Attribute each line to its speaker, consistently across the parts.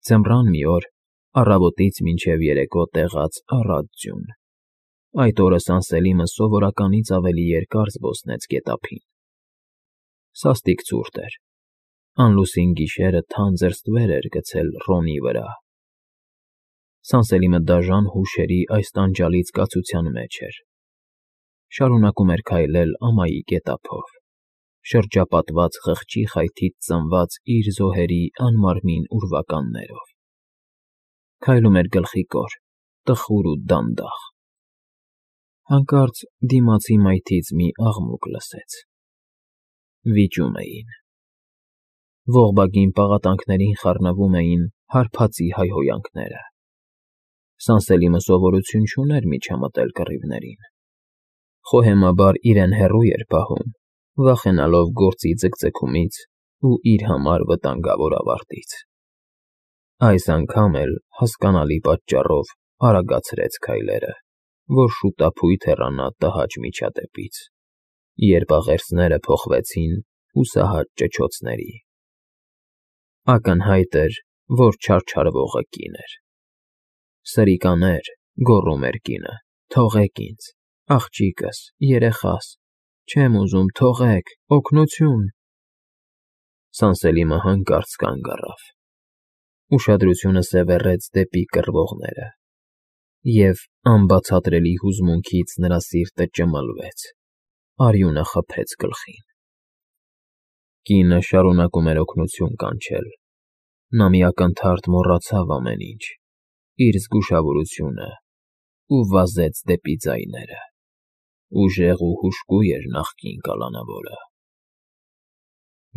Speaker 1: Ձմռան մի օր, առավոտից մինչև երեկո տեղաց առատ ձյուն, այդ օրը Սանսելիմը սովորականից ավելի երկար զբոսնեց գետափին. սաստիկ ցուրտ էր, անլուսին գիշերը թանձր ստվեր էր գցել Ռոնի վրա։ Սանսելիմը դաժան հուշերի այս տանջալից զգացության մեջ էր, շարունակում էր քայլել ամայի գետափով, շրջապատված խղճի խայթից ծնված իր զոհերի անմարմին ուրվականներով, քայլում էր գլխիկոր, տխուր ու դանդաղ։ Հանկարծ դիմացի մայթից մի աղմուկ լսեց. վիճում էին, ողբագին պաղատանքներին խառնվում էին հարբածի հայհոյանքները։ Սանսելիմը սովորություն չուներ միջամտել կռիվներին, խոհեմաբար իրեն հեռու էր պահում, վախենալով գործի ձգձգումից ու իր համար վտանգավոր ավարտից։ Այս անգամ էլ հասկանալի պատճառով արագացրեց քայլերը, որ շուտափույթ հեռանա տհաճ միջադեպից, երբ աղերսները փոխվեցին հուսահատ ճչոցների։ Ակնհայտ էր, որ չարչարվողը կին էր։ Սրիկաներ, գոռում էր կինը, թողեք ինձ, աղջիկս, երեխաս, չեմ ուզում, թողեք, օգնություն։ Սանսելիմը հանկարծ կանգ առավ, ուշադրությունը սևեռեց դեպի կռվողները, և անբացատրելի հուզմունքից նրա սիրտը ճմլվեց, արյունը խփեց գլխին։ Կինը շարունակում էր օգնություն կանչել, նա մի ակնթարթ մոռացավ ամեն ինչ, իր զգուշավորությունը ու վազեց դեպի ձայները, ուժեղ ու հուժկու էր նախկին կալանավորը։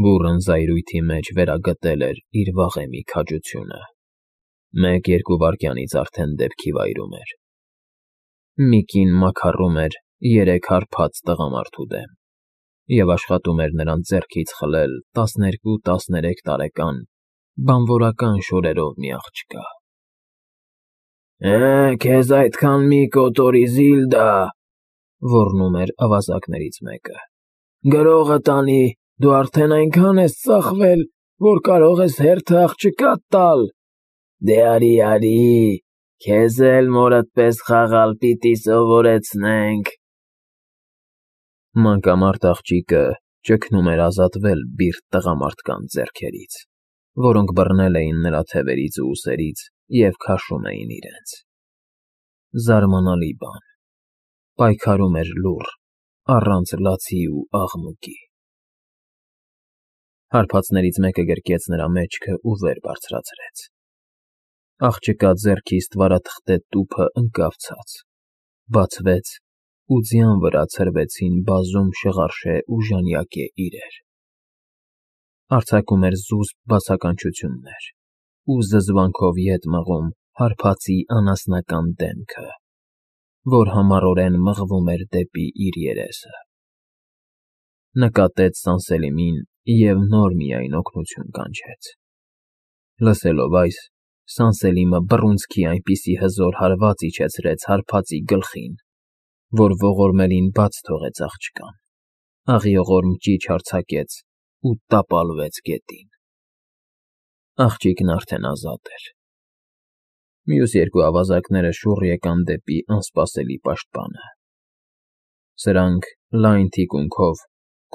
Speaker 1: Բուռն զայրույթի մեջ վերագտել էր իր վաղեմի քաջությունը, 1-2 վայրկյանից արդեն դեպքի վայրում էր։ Մի կին մաքառում էր 3 հարբած տղամարդու դեմ և աշխատում էր նրանց ձեռքից խլել 12-13 տարեկան բանվորական շորերով մի աղջկա։ Քեզ այդքան մի կոտորի, Զիլդա, ոռնում էր ավազակներից մեկը, գրողը տանի, դու արդեն այնքան ես ծախվել, որ կարող ես հերթը աղջկադ տալ։ Դե արի, քեզ էլ մորդ պես խաղալ պիտի սովորեցնենք։ Մանկամարդ աղջիկը ճգնում էր ազատվել բիրտ տղամարդկանց ձեռքերից, որոնք բռնել էին նրա թևերից ու ուսերից և քաշում էին իրենց։ Զարմանալի բան, պայքարում էր լուռ, առանց լացի ու աղմուկի։ Հարբածներից մեկը գրկեց նրա մեջքը ու վեր բարձրացրեց։ Աղջկա ձեռքի ստվարաթղթե տուփը ընկավ ցած, բացվեց ու ձյան վրա ցրվեցին բազում շղարշե ու ժանյակե իրեր։ Արձակում էր զուսպ բացականչություններ ու զզվանքով ետ մղում հարբածի անասնական դեմքը, որ համառորեն մղվում էր դեպի իր երեսը։ Նկատեց Սանսելիմին և նոր միայն օգնություն կանչեց։ Լսելով այս, Սանսելիմը բռունցքի այնպիսի հզոր հարված իջեցրեց հարբածի գլխին, որ ողորմելին բաց թողեց աղջկան, աղիողորմ ճիչ արձակեց ու տապալվեց գետին։ Աղջիկն արդեն ազատ էր։ Մյուս 2 ավազակները շուռ եկան դեպի անսպասելի պաշտպանը։ Սրանք լայն թիկունքով,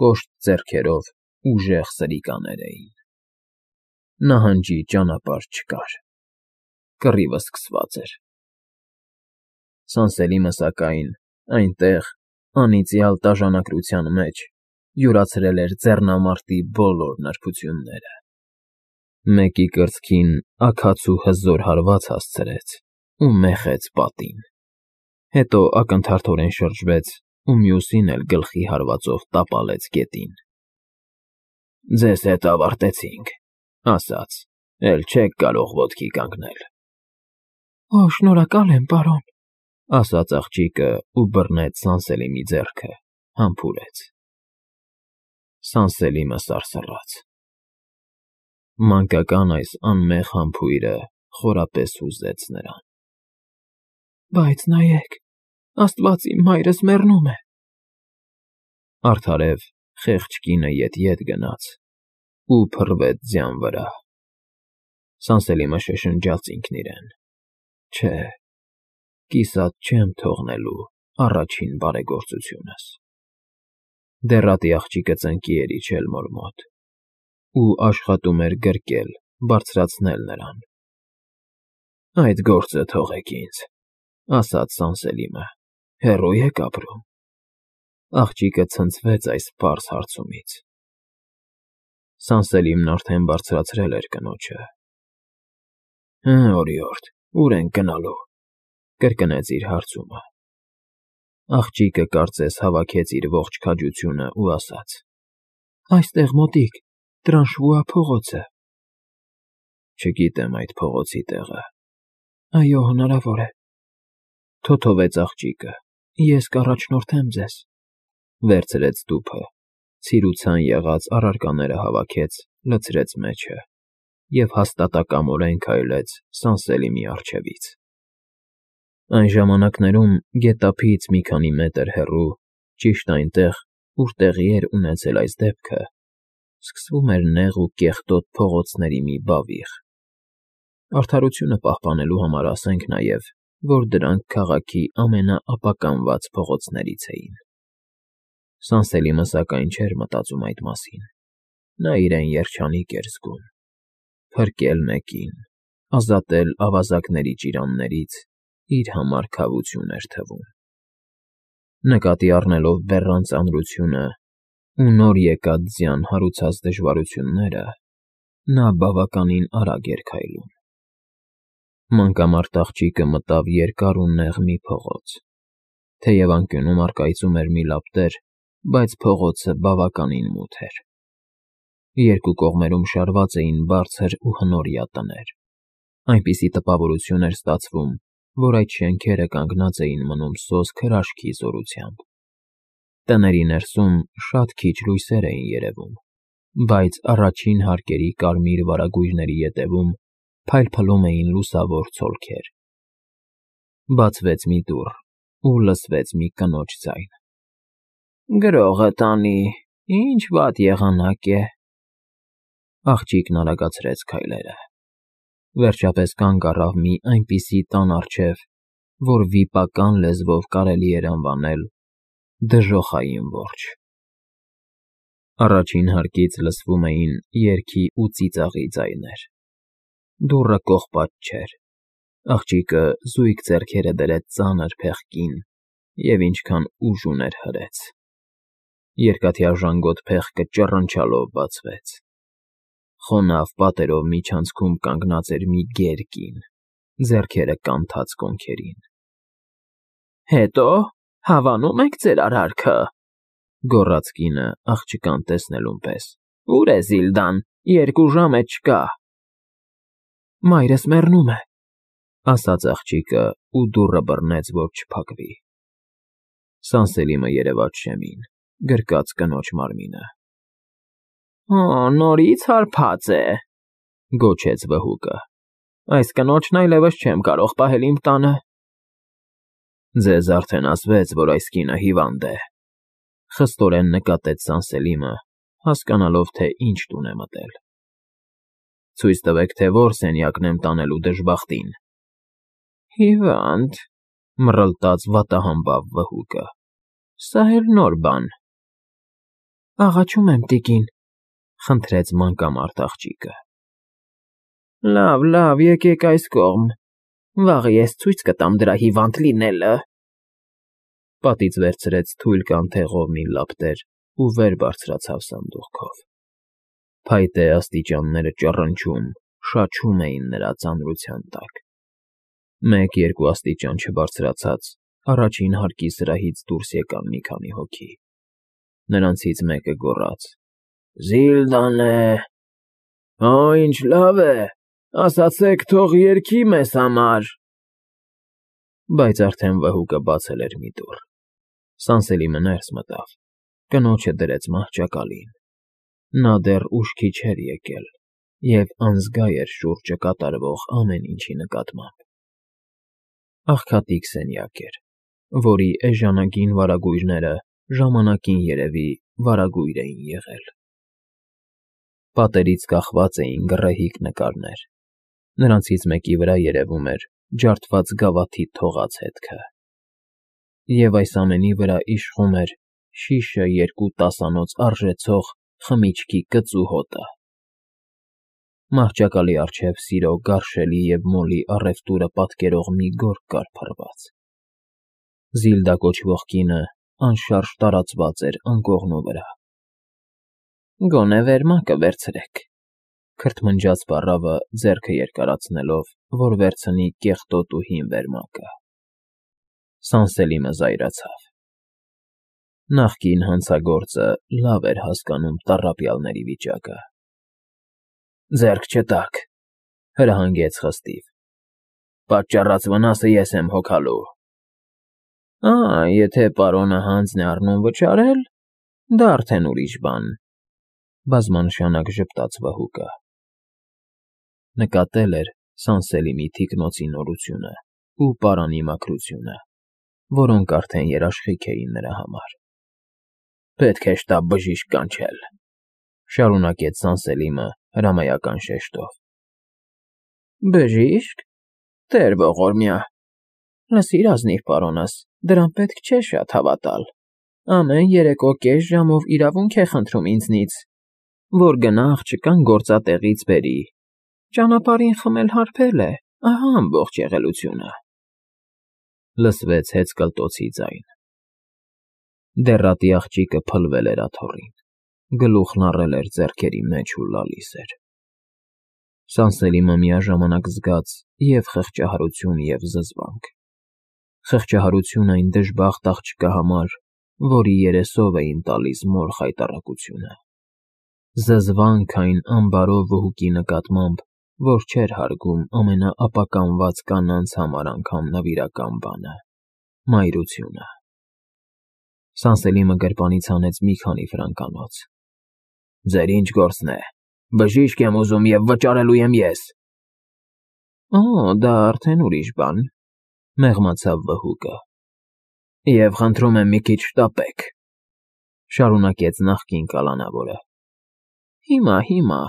Speaker 1: կոշտ ձեռքերով ուժեղ սրիկաներ էին։ Նահանջի ճանապարհ չկար, կռիվը սկսված էր։ Սանսելիմը, սակայն, այնտեղ, անիծյալ տաժանակրության մեջ, յուրացրել էր ձեռնամարտի բոլոր նրբությունները։ Մեկի կրծքին աքացու հզոր հարված հասցրեց ու մեխեց պատին, հետո ակնթարթորեն շրջվեց ու մյուսին էլ գլխի հարվածով տապալեց գետին։ Ձեզ հետ ավարտեցինք, ասաց, էլ չեք կարող ոտքի կանգնել։ Շնորհակալ եմ, պարոն, ասաց աղջիկը ու բռնեց Սանսելիմի ձեռքը, համբուրեց։ Սանսելիմը սարսռաց։ Մանկական այս անմեղ համբույրը խորապես հուզեց նրան։ Բայց նայեք, Աստված իմ մայրս մեռնում է։ Արդարև խեղճ կինը ետ գնաց ու փռվեց ձյան վրա։ Սանսելիմը շշնջաց ինքն իրեն. Չէ, կիսատ չեմ թողնելու առաջին բարեգործությունս։ Դեռատի աղջիկը ծնկի էր իջել մոր մոտ ու աշխատում էր գրկել, բարձրացնել նրան։ Այդ գործը թողեք ինձ, ասաց Սանսելիմը, հեռո՞ւ եք ապրում։ Աղջիկը ցնցվեց այս պարզ հարցումից։ Սանսելիմն արդեն բարձրացրել էր կնոջը։ Օրիորդ, ուր ենք գնալու, կրկնեց իր հարցումը։ Աղջիկը կարծես հավաքեց իր ողջ քաջությունը ու ասաց. Այստեղ մոտիկ, Տրանշվուա փողոցը։ Չգիտեմ այդ փողոցի տեղը։ Այո, հնարավոր է։ Թոթովեց աղջիկը, ես կառաջնորդեմ ձեզ։ Վերցրեց տուփը, ցիրուցան եղած առարկաները հավաքեց, լցրեց մեջը և հաստատակամորեն քայլեց Սանսելիմի առջևից։ Այն ժամանակներում գետափից մի քանի մետր հեռու, ճիշտ այնտեղ, ուր տեղի էր ունեցել այս դեպքը, սկսվում էր նեղ ու կեղտոտ փողոցների մի բավիղ։ Արդարությունը պահպանելու համար ասենք նաև, որ դրանք քաղաքի ամենաապականված փողոցներից էին։ Սանսելիմը սակայն չէր մտածում այդ մասին։ Նա իրեն երջանիկ էր զգում։ Փրկել մեկին, ազատել ավազակների ճիրաններից իր համար քավություն էր թվում։ Նկատի առնելով բեռան ծանրությունը ու նոր եկած ձյան հարուցած դժվարությունները, նա բավականին արագ էր քայլում։ Մանկամարտ աղջիկը մտավ երկար ու նեղ մի փողոց։ Թեև անկյունում առկայծում էր մի լապտեր, բայց փողոցը բավականին մութ էր։ Երկու կողմերում շարված էին բարձր ու հնորյա տներ։ Այնպիսի տպավորություն էր ստացվում, որ այդ շենքերը կանգնած էին մնում սոսկ հրաշքի զորությամբ։ Տների ներսում շատ քիչ լույսեր էին երևում, բայց առաջին հարկերի կարմիր վարագույրների ետևում փայլփլում էին լուսավոր ցոլքեր։ Բացվեց մի դուռ ու լսվեց մի կնոջ ձայն. Գրողը տանի, ինչ վատ եղանակ է։ Աղջիկն արագացրեց քայլերը։ Վերջապես կանգ առավ մի այնպիսի տան առջև, որ վիպական լեզվով կարելի էր անվանել դժոխային որջը։ Առաջին հարկից լսվում էին երգի ու ծիծաղի ձայներ։ Դուռը կողպած չէր։ Աղջիկը զույգ ձեռքերը դրեց ծանր փեղկին և ինչքան ուժ ուներ հրեց։ Երկաթյա ժանգոտ փեղկը ճռնչալով բացվեց։ Խոնավ պատերով միջանցքում կանգնած էր մի գեր կին, ձեռքերը կանթած կոնքերին։ Հետո հավանո՞ւմ եք ձեր արարքը, գոռաց կինը աղջկան տեսնելուն պես։ Ո՞ւր է Զիլդան, 2 ժամ է չկա։ Մայրս մեռնում է, ասաց աղջիկը ու դուռը բռնեց, որ չփակվի։ Սանսելիմը երևաց շեմին, գրկած կնոջ մարմինը։ Նորից հարբած է, գոչեց վհուկը։ Այս կնոջն այլևս չեմ կարող պահել իմ տանը։ Ձեզ արդեն ասվեց, որ այս կինը հիվանդ է, խստորեն նկատեց Սանսելիմը, հասկանալով, թե ինչ տուն է մտել։ Ցույց տվեք, թե որ սենյակն եմ տանելու դժբախտին։ Հիվանդ, մռլտաց վատահամբավ վհուկը։ Սա էլ նոր բան։ Աղաչում եմ, տիկին, խնդրեց մանկամարտ աղջիկը։ Լավ, եկեք այս կողմ, վաղը ես ցույց կտամ դրա հիվանդ լինելը։ Պատից վերցրեց թույլ կանթեղով մի լապտեր ու վեր բարձրացավ սանդուղքով։ Փայտե աստիճանները ճռնչում, շաչում էին նրա ծանրության տակ։ 1-2 աստիճան չբարձրացած, առաջին հարկի սրահից դուրս եկան մի քանի հոգի։ Նրանցից մեկը գոռաց. Զիլդան է։ Ինչ լավ է, ասացեք, թող երգի մեզ համար։ Բայց արդեն վհուկը բացել էր մի դուռ։ Սանսելիմը ներս մտավ, կնոջը դրեց մահճակալին։ Նա դեռ ուշքի չէր եկել և անզգա էր շուրջը կատարվող ամեն ինչի նկատմամբ։ Աղքատիկ սենյակ էր, որի էժանագին վարագույրները ժամանակին երևի վարագույր էին եղել։ Պատերից կախված էին գռեհիկ նկարներ, Նրանցից մեկի վրա երևում էր ջարդված գավաթի թողած հետքը, և այս ամենի վրա իշխում էր շիշը 2 տասանոց արժեցող խմիչքի կծու հոտը։ Մահճակալի առջև սիրո գարշելի և մոլի առևտուրը պատկերող մի գորգ կար փռված։ Զիլդա կոչվող կինը անշարժ տարածված էր անկողնու վրա։ «Գոնե վերմակը վերցրեք», քրթմնջաց պառավը, ձեռքը երկարացնելով, որ վերցնի կեղտոտ ու հին վերմակը։ Սանսելիմը զայրացավ։ Նախկին հանցագործը լավ էր հասկանում տառապյալների վիճակը։ «Ձեռք չտաք,֊ հրահանգեց խստիվ,֊ պատճառած վնասը ես եմ հոգալու»։ Եթե պարոնը հանձն է առնում վճարել, դա արդեն ուրիշ բան,֊ բազմանշանակ ժպտաց վհուկը։ Նկատել էր Սանսելիմի թիկնոցի նորությունը ու պարանի մաքրությունը, որոնք արդեն երաշխիք էին նրա համար։ «Պետք է շտապ բժիշկ կանչել,֊ շարունակեց Սանսելիմը հրամայական շեշտով։ «Բժի՞շկ, տեր ողորմյա, լսիր ազնիվ պարոնս, դրան պետք չէ շատ հավատալ։ Ամեն երեկո կես ժամով իրավունք է խնդրում ինձնից, որ գնա աղջկան գործատեղից բերի։ Ճանապարհին խմել հարբել է, ահա ամբողջ եղելությունը»։ Լսվեց հեծկլտոցի ձայն։ Դեռատի աղջիկը փլվել էր աթոռին, գլուխն առել էր ձեռքերի մեջ ու լալիս էր։ Սանսելիմը միաժամանակ զգաց և՛ խղճահարություն, և՛ զզվանք։ Խղճահարություն այն դժբախտ աղջկա համար, որի երեսով էին տալիս մոր խայտառակությունը։ Զզվանք այն անբարո վհուկի նկատմամբ, որ չէր հարգում ամենաապականված կանանց համար անգամ նվիրական բանը՝ մայրությունը։ Սանսելիմը գրպանից հանեց մի քանի ֆրանկանոց։ «Ձեր ինչ գործն է, բժիշկ եմ ուզում և վճարելու եմ ես»։ Դա արդեն ուրիշ բան,֊ մեղմացավ վհուկը։ «Եվ խնդրում եմ մի քիչ շտապեք,֊ շարունակեց նախկին կալանավորը։ Հիմա…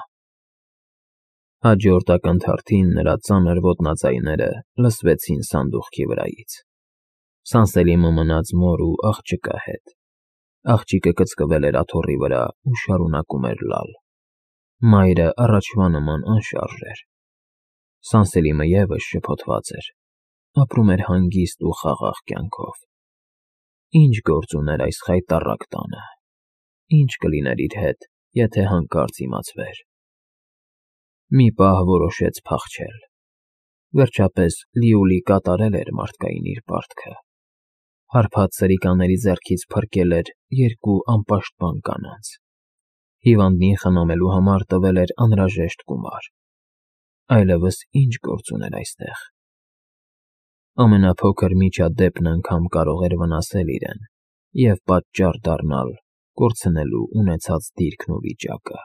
Speaker 1: Հաջորդ ակնթարթին նրա ծանր ոտնաձայները լսվեցին սանդուղքի վրայից։ Սանսելիմը մնաց մոր ու աղջկա հետ։ Աղջիկը կծկվել էր աթոռի վրա ու շարունակում էր լալ։ Մայրը առաջվա նման անշարժ էր։ Սանսելիմը ևս շփոթված էր, ապրում էր հանգիստ ու խաղաղ կյանքով։ Ինչ գործ ուներ այս խայտառակ տանը։ Ինչ կլիներ իր հետ, եթե հանկարծ իմացվեր։ Մի պահ որոշեց փախչել։ Վերջապես լիովին կատարել էր մարդկային իր պարտքը։ Հարբած սրիկաների ձեռքից փրկել էր 2 անպաշտպան կանանց։ Հիվանդին խնամելու համար տվել էր անհրաժեշտ գումար։ Այլևս ինչ գործ ուներ այստեղ։ Ամենափոքր միջադեպն անգամ կարող էր վնասել իրեն և պատճառ դառնալ կորցնելու ունեցած դիրքն ու վիճակը։